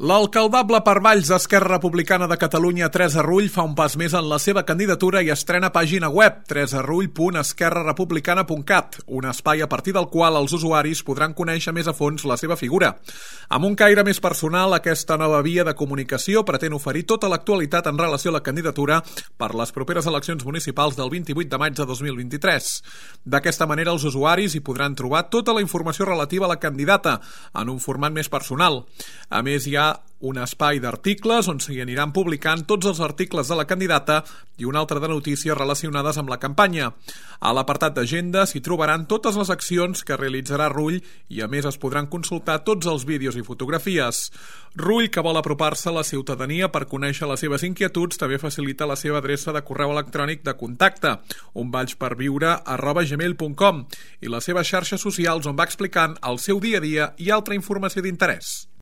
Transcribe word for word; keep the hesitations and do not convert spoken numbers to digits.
L'alcaldable per Valls d'Esquerra Republicana de Catalunya, Teresa Rull, fa un pas més en la seva candidatura i estrena pàgina web, teresa rull punt esquerra republicana punt cat, un espai a partir del qual els usuaris podran conèixer més a fons la seva figura. Amb un caire més personal, aquesta nova via de comunicació pretén oferir tota l'actualitat en relació a la candidatura per les properes eleccions municipals del vint-i-vuit de maig de dos mil vint-i-tres. D'aquesta manera, els usuaris hi podran trobar tota la informació relativa a la candidata, en un format més personal. A més, hi ha un espai d'articles on s'hi aniran publicant tots els articles de la candidata i un altre de notícies relacionades amb la campanya. A l'apartat d'agenda s'hi trobaran totes les accions que realitzarà Rull i a més es podran consultar tots els vídeos i fotografies. Rull, que vol apropar-se a la ciutadania per conèixer les seves inquietuds, també facilita la seva adreça de correu electrònic de contacte, onvalls-per-viure arroba gmail punt com, i les seves xarxes socials on va explicant el seu dia a dia i altra informació d'interès.